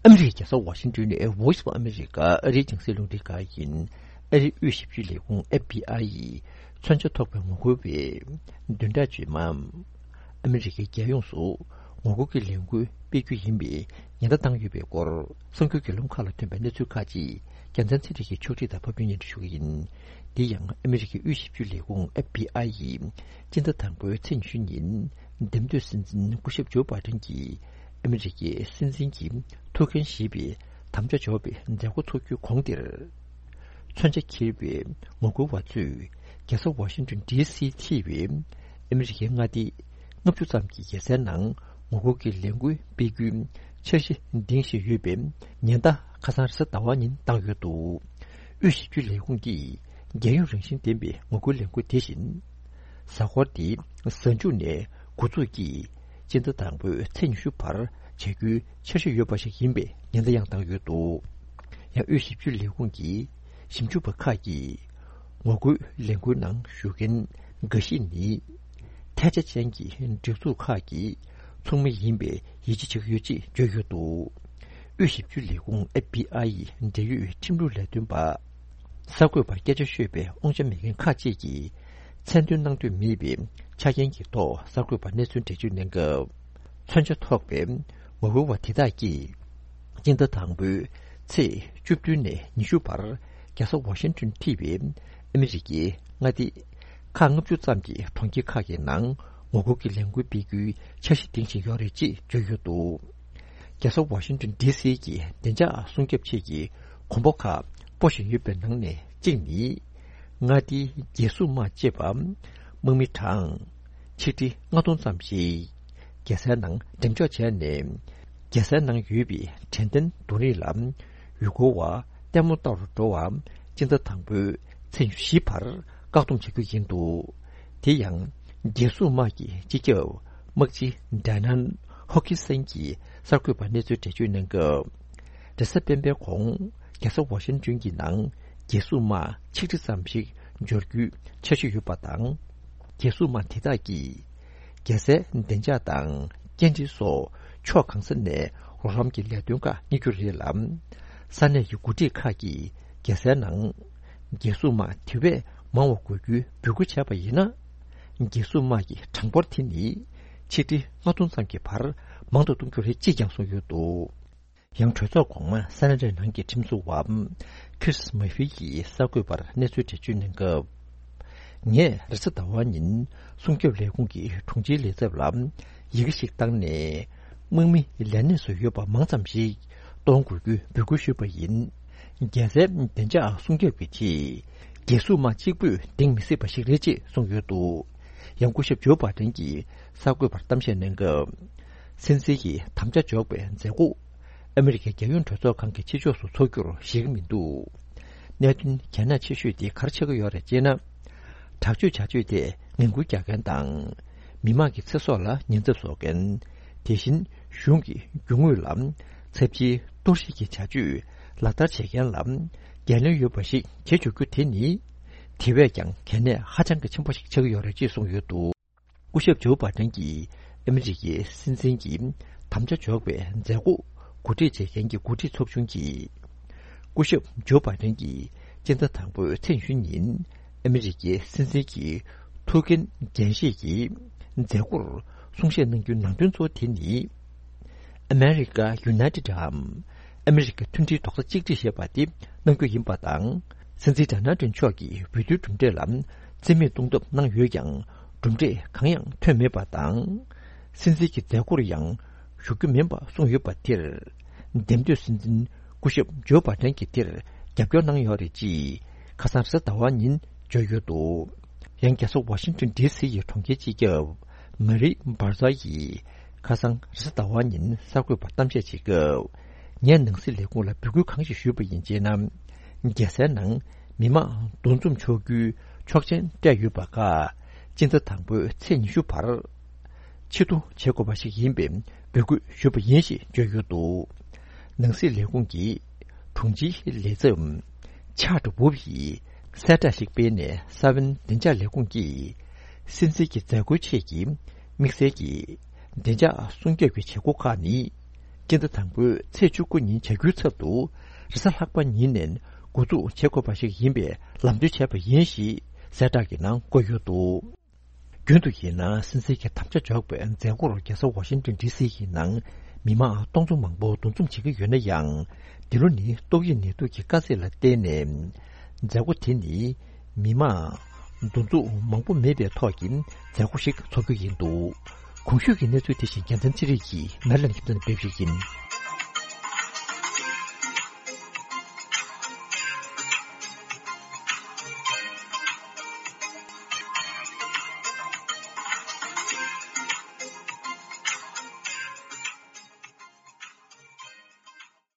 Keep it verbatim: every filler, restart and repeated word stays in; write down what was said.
ཨ་མི་རི་ཀའི་རྒྱལ་ས་ཝ་ཤིང་ཏོན་ནས་Voice of America ཨ་རིའི་རྒྱང་སྲིང་རླུང་འཕྲིན་ཁང་ཡིན། ཨ་རིའི་དབུས་ཞིབ་དཔྱོད་ལས་ཁུངས་ཨེཕ་བི་ཨའི་ཡིས་མཚོན་ཆ་ཐོགས་པའི་ངོ་རྒོལ་བའི་བདུན་ཕྲག་རྗེས་མ། ཨ་མི་རི་ཀའི་རྒྱལ་ཡོངས་སུ་ངོ་རྒོལ་གྱི་ལས་འགུལ་སྤེལ་རྒྱུ་ཡིན་པའི་ཉེན་བརྡ་བཏང་ཡོད་པའི་སྐོར་གསར་འགྱུར་བརྒྱུད་ལམ་ཁག་ལ་ཐོན་པའི་གནས་ཚུལ་ཁག་ཅིག་རྒྱལ་མཚན་ཚེ་རིང་གིས་ཕྱོགས་སྒྲིག་དང་ཕབ་སྒྱུར་སྙན་སྒྲོན་ཞུ་གི་ཡིན། འདི་ཡང་ཨ་མི་རི་ཀའི་དབུས་ཞིབ་དཔྱོད་ལས་ཁུངས་ཨེཕ་བི་ཨའི་ཡིས་སྤྱི་ཟླ་དང་པོའི་ཚེས་ཉི་ཤུ་ཉིན་འདེམས་ཐོན་སྲིད་འཛིན་སྐུ་ཞབས་ཇོ་བྷའི་ཌེན་གྱིས་ཨ་མི་རི་ཀའི་སྲིད་འཛིན་གྱི་ཐུགས་འགན་བཞེས་པའི་དམ་བཅའ་འཇོག་པའི་མཛད་སྒོ་འཚོགས་རྒྱུའི་གོང་དེར། མཚོན་ཆ་འཁྱེར་བའི་ངོ་རྒོལ་བ་ཚོས་རྒྱལ་ས་ཝ་ཤིང་ཏོན་ཌི་སི་མཐིལ་བའི་ཨ་མི་རི་ཀའི་མངའ་སྡེ་ལྔ་བཅུ་ཙམ་གྱི་རྒྱལ་སའི་ནང་ངོ་རྒོལ་གྱི་ལས་འགུལ་སྤེལ་རྒྱུའི་འཆར་གཞི་འདིང་བཞིན་ཡོད་པའི་ཉེན་བརྡ་ཁ་སང་རེས་གཟའ་ཟླ་བ་ཉིན་བཏང་ཡོད་འདུག་དབུས་ཞིབ་དཔྱོད་ལས་ཁུངས་ཀྱིས་རྒྱལ་ཡོངས་རང་བཞིན་ལྡན་པའི་ངོ་རྒོལ་ལས་འགུལ་དེ་བཞིན། གཟའ་འཁོར་འདིའི་གཟའ་མཇུག་ནས་འགོ་འཛུགས་ཀྱིས་སྤྱི་ཟླ་དང་པོའི་ཚེས་ཉི་ཤུ་བར་བྱ་རྒྱུའི་འཆར་གཞི་ཡོད་པ་ཞིག་ཡིན་པའི་ཉེན་བརྡ་ཡང་བཏང་ཡོད་འདུག་ཡང་དབུས་ཞིབ་དཔྱོད་ལས་ཁུངས་ཀྱི་ཞིབ་འཇུག་པ་ཁག་གིས་ངོ་རྒོལ་ལས་འགུལ་ནང་ཞུགས་མཁན་འགའ་ཞིག་ནི་ཐལ་ཆ་ཅན་གྱི་སྒྲིག་འཛུགས་ཁག་གི་ཚོགས་མི་ཡིན་པའི་ཡིད་ཆེས་བྱེད་ཀྱི་ཡོད་ཅེས་བརྗོད་ཡོད་འདུག་དབུས་ཞིབ་དཔྱོད་ལས་ཁུངས་ཨེཕ་བི་ཨའི་འབྲེལ་ཡོད་ཁྲིམས་ལུགས་ལས་དོན་པ། གསར་འགོད་པར་སྐད་ཆ་ཤོད་པའི་དབང་ཆ་མེད་མཁན་ཁག་ཅིག་གིས་མཚན་འདོན་གནང་འདོད་མེད་པའི་ཆ་རྐྱེན་གྱི་ཐོག་གསར་འགོད་པར་གནས་ཚུལ་འགྲེལ་བརྗོད་གནང་སྐབས། མཚོན་ཆ་ཐོགས་པའི་ངོ་རྒོལ་བ་དེ་དག་གིས་སྤྱི་ཟླ་དང་པོའི་ཚེས་བཅུ་བདུན་ནས་ཉི་ཤུ་བར་རྒྱལ་ས་ཝ་ཤིང་ཏོན་མཐིལ་བའི་ཨ་མི་རི་ཀའི་མངའ་སྡེ་ཁག་ལྔ་བཅུ་ཙམ་གྱི་གྲོང་ཁྱེར་ཁག་གི་ནང་ངོ་རྒོལ་གྱི་ལས་འགུལ་སྤེལ་རྒྱུའི་འཆར་གཞི་འདིང་བཞིན་ཡོད་རེད་ཅེས་བརྗོད་ཡོད་འདུག་རྒྱལ་ས་ཝ་ཤིང་ཏོན་ཌི་སི་གི་བདེ་འཇགས་སྲུང་སྐྱོབ་ཆེད་ཀྱི་གོམ་པ་ཁག་སྤོ་བཞིན་ཡོད་པའི་ནང་ནས་གཅིག་ནི། མངའ་སྡེའི་རྒྱལ་སྲུང་དམག་ཅེས་པ། དམག་མི་གྲངས་ཆིག་ཁྲི་ལྔ་སྟོང་ཙམ་ཞིག་རྒྱལ་སའི་ནང་འགྲེམས་འཇོག་བྱས་ནས། རྒྱལ་སའི་ནང་ཡོད་པའི་དྲན་རྟེན་རྡུང་རེས་ལ་ཡུལ་སྐོར་བ་ལྟད་མོ་ལྟ་རུ་འགྲོ་བ་སྤྱི་ཟླ་དང་པོའི་ཚེས་བཞི་བར་བཀག་སྡོམ་བྱ་རྒྱུ་ཡིན་འདུག་དེ་ཡང་རྒྱལ་སྲུང་དམག་གི་སྤྱི་ཁྱབ་དམག་སྤྱི་ཌེ་ནན་ཧོ་ཁི་སན་གྱིས་གསར་འགོད་པར་གནས་ཚུལ་འགྲེལ་བརྗོད་གནང་སྐབས། རེས་གཟའ་སྤེན་པའི་གོང་རྒྱལ་ས་ཝ་ཤིང་ཏོན་གྱི་ནང་རྒྱལ་སྲུང་དམག་ཆིག་ཁྲི་ཙམ་ཞིག་འབྱོར་རྒྱུའི་འཆར་གཞི་ཡོད་པ་དང་། རྒྱལ་སྲུང་དམག་དེ་དག་གིས་རྒྱལ་སའི་བདེ་འཇགས་དང་སྐྱེལ་འདྲེན་སོགས་ཕྱོགས་གང་ས་ནས་རོགས་རམ་གྱི་ལས་དོན་ཁག་གཉེར་རྒྱུ་རེད་ལ། ས་གནས་ཀྱི་འགོ་ཁྲིད་ཁག་གིས་རྒྱལ་སའི་ནང་རྒྱལ་སྲུང་དམག་དེ་བས་མང་བ་དགོས་རྒྱུའི་འབོད་སྐུལ་བྱས་པ་ཡིན་ན། རྒྱལ་སྲུང་དམག་གི་གྲངས་འབོར་དེ་ནི་ཆིག་ཁྲི་ལྔ་སྟོང་ཙམ་གྱི་བར་མང་དུ་གཏོང་རྒྱུ་རེད་ཅེས་ཀྱང་གསུངས་ཡོད་འདུག་ཡང་གྲོས་ཚོགས་གོང་མ་ས་ན་ཌའི་ནང་གི་ཁྲིམས་བཟོ་བ་ཁྲིས་མ་ཧྥི་ཡིས་གསར་འགོད་པར་གནས་ཚུལ་འགྲེལ་བརྗོད་གནང་སྐབས། ངས་རེས་གཟའ་ཟླ་བ་ཉིན་སྲུང་སྐྱོབ་ལས་ཁུངས་ཀྱི་དྲུང་ཆེའི་ལས་ཚབ་ལ་ཡི་གེ་ཞིག་བཏང་ནས། དམག་མི་ལས་གནས་སུ་ཡོད་པ་མང་ཙམ་ཞིག་གཏོང་དགོས་རྒྱུའི་འབོད་སྐུལ་ཞུས་པ་ཡིན། རྒྱལ་སའི་བདེ་འཇགས་སྲུང་སྐྱོབ་ཀྱི་ཆེད། རྒྱལ་སྲུང་དམག་གཅིག་པུས་འདིང་མི་སྲིད་པ་ཞིག་རེད་ཅེས་གསུངས་ཡོད་འདུག་ཡང་སྐུ་ཞབས་ཇོ་བྷའི་ཌེན་གྱིས་གསར་འགོད་པར་གཏམ་བཤད་གནང་སྐབས། སྲིད་འཛིན་གྱི་དམ་བཅའ་འཇོག་པའི་མཛད་སྒོ་ཨ་མི་རི་ཀའི་རྒྱལ་ཡོངས་གྲོས་ཚོགས་ཁང་གི་ཕྱི་ཕྱོགས་སུ་འཚོགས་རྒྱུར་གཞིགས་མི་འདུག་གནད་དོན་གལ་གནད་ཆེ་ཤོས་དེ་ག་རེ་ཆགས་ཀྱི་ཡོད་རེད་ཅེ་ན། དྲག་སྤྱོད་བྱ་སྤྱོད་དེ་ངན་སྐུལ་རྒྱག་མཁན་དང་། མི་དམངས་ཀྱི་ཚེ་སྲོག་ལ་ཉེན་ཚབས་བཟོ་མཁན། དེ་བཞིན་གཞུང་གི་རྒྱུ་དངོས་ལ་ཚབས་ཆེའི་གཏོར་བཤིག་གི་བྱ་སྤྱོད་ལག་བསྟར་བྱེད་མཁན་ལ་འགན་ལེན་ཡོད་པ་ཞིག་བྱེད་ཆོག་རྒྱུ་དེ་ནི། དེ་བས་ཀྱང་གལ་གནད་ཧ་ཅང་གི་ཆེན་པོ་ཞིག་ཆགས་ཀྱི་ཡོད་རེད་ཅེས་གསུངས་ཡོད་འདུག་སྐུ་ཞབས་ཇོ་བྷའི་ཌེན་གྱིས་ཨ་མི་རི་ཀའི་སྲིད་འཛིན་གྱི་དམ་བཅའ་འཇོག་པའི་མཛད་སྒོ་གོ་སྒྲིག་བྱེད་མཁན་གྱི་འགོ་ཁྲིད་ཚོགས་ཆུང་གིས། སྐུ་ཞབས་ཇོ་བྷའི་ཌེན་གྱིས་སྤྱི་ཟླ་དང་པོའི་ཚེས་ཉི་ཤུ་ཉིན་ཨ་མི་རི་ཀའི་སྲིད་འཛིན་གྱི་ཐུགས་འགན་འགན་བཞེས་ཀྱི་མཛད་སྒོར་གསུང་བཤད་གནང་རྒྱུའི་ནང་དོན་གཙོ་བོ་དེ་ནི། America United འམ། ཨ་མི་རི་ཀའི་མཐུན་སྒྲིལ་རྡོག་རྩ་གཅིག་སྒྲིལ་ཞེས་པ་དེ་གནང་རྒྱུ་ཡིན་པ་དང་། སྲིད་འཛིན་ཌོ་ནལ་ཊམ་མཆོག་གིས་འོས་བསྡུའི་གྲུབ་འབྲས་ལ་རྩིས་མེད་གཏོང་ཐབས་གནང་ཡོད་ཀྱང་། གྲུབ་འབྲས་གང་ཡང་ཐོན་མེད་པ་དང་། སྲིད་འཛིན་གྱི་མཛད་སྒོར་ཡང་ཞུགས་རྒྱུ་མིན་པ་གསུངས་ཡོད་པ་དེར། འདེམས་ཐོན་སྲིད་འཛིན་སྐུ་ཞབས་ཇོ་བྷའི་ཌེན་གྱིས་དེར་རྒྱབ་སྐྱོར་གནང་ཡོད་རེད་ཅེས་ཁ་སང་རེས་གཟའ་ཟླ་བ་ཉིན་བརྗོད་ཡོད་འདུག་ཡང་རྒྱལ་ས་ཝ་ཤིང་ཏོན་ཌི་སི་ཡི་གྲོང་ཁྱེར་སྤྱི་ཁྱབ་མ་རི་འབར་ཛ་ཡིས་ཁ་སང་རེས་གཟའ་ཟླ་བ་ཉིན་གསར་འགོད་པར་གཏམ་བཤད་བྱེད་སྐབས། ངས་ནང་སྲིད་ལས་ཁུངས་ལ་འབོད་སྐུལ་གང་ཞིག་ཞུས་པ་ཡིན་ཅེ་ན། རྒྱལ་སའི་ནང་མི་མང་འདུ་འཛོམས་ཆོག་རྒྱུའི་ཆོག་མཆན་སྤྲད་ཡོད་པ་ཁག་སྤྱི་ཟླ་དང་པོའི་ཚེས་ཉི་ཤུ་བར་ཕྱིར་བསྡུ་བྱེད་དགོས་པ་ཞིག་ཡིན་པའི་འབོད་སྐུལ་ཞུས་པ་ཡིན་ཞེས་བརྗོད་ཡོད་འདུག་ནང་སྲིད་ལས་ཁུངས་ཀྱི་དྲུང་ཆེའི་ལས་ཚབ་ཆར་ཝུབ་ཡིས་གསལ་བསྒྲགས་ཤིག་སྤེལ་ནས། ས་བོན་བདེ་འཇགས་ལས་ཁུངས་ཀྱིས་སྲིད་འཛིན་གྱི་མཛད་སྒོའི་ཆེད་ཀྱི་དམིགས་བསལ་གྱི་བདེ་འཇགས་སྲུང་སྐྱོབ་ཀྱི་བྱེད་སྒོ་ཁག་ནི། སྤྱི་ཟླ་དང་པོའི་ཚེས་བཅུ་དགུ་ཉིན་བྱ་འགུལ་ཚབ་ཏུ་རེས་གཟའ་ལྷག་པ་ཉིན་ནས་འགོ་འཛུགས་བྱེད་དགོས་པ་ཞིག་ཡིན་པའི་ལམ་སྟོན་བྱས་པ་ཡིན་ཞེས་གསལ་བསྒྲགས་ཀྱི་ནང་བཀོད་ཡོད་འདུག་རྒྱུན་དུ་ཡིན་ན་སྲིད་འཛིན་གྱི་དམ་བཅའ་འཇོག་པའི་མཛད་སྒོར་རྒྱལ་ས་ཝ་ཤིང་ཏོན་ཌི་སི་ཡི་ནང་མི་མང་སྟོང་ཚོ་མང་པོ་འདུ་འཛོམས་བྱེད་ཀྱི་ཡོད་ན་ཡང་། འདི་ལོ་ནི་ཏོག་དབྱིབས་ནད་དུག་གི་དཀའ་ཚེགས་ལ་བརྟེན་ནས། མཛད་སྒོ་དེ་ནི་མི་མང་འདུ་འཛོམས་མང་པོ་མེད་པའི་ཐོག་གི་མཛད་སྒོ་ཞིག་འཚོགས་རྒྱུ་ཡིན་འདུག་གོང་ཞུས་ཀྱི་གནས་ཚུལ་དེ་བཞིན་རྒྱལ་མཚན་ཚེ་རིང་གིས་ནར་ལན་ཁྱིམ་ཚང་སྤེལ་ཞིག་ཡིན།